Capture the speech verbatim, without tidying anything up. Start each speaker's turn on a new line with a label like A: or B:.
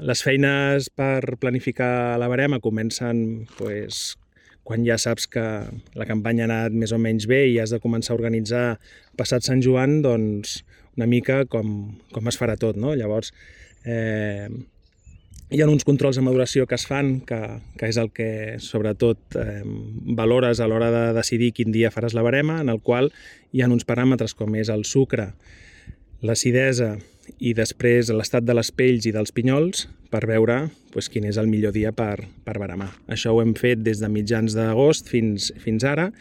A: Les feines per planificar la barema comencen pues, quan ja saps que la campanya ha anat més o menys bé i has de començar a organitzar passat Sant Joan, doncs una mica com, com es farà tot, no? Llavors, eh, hi ha uns controls de maduració que es fan, que, que és el que sobretot eh, valores a l'hora de decidir quin dia faràs la barema, en el qual hi ha uns paràmetres com és el sucre, l'acidesa i després l'estat de les pells i dels pinyols per veure pues, quin és el millor dia per, per baremar. Això ho hem fet des de mitjans d'agost fins, fins ara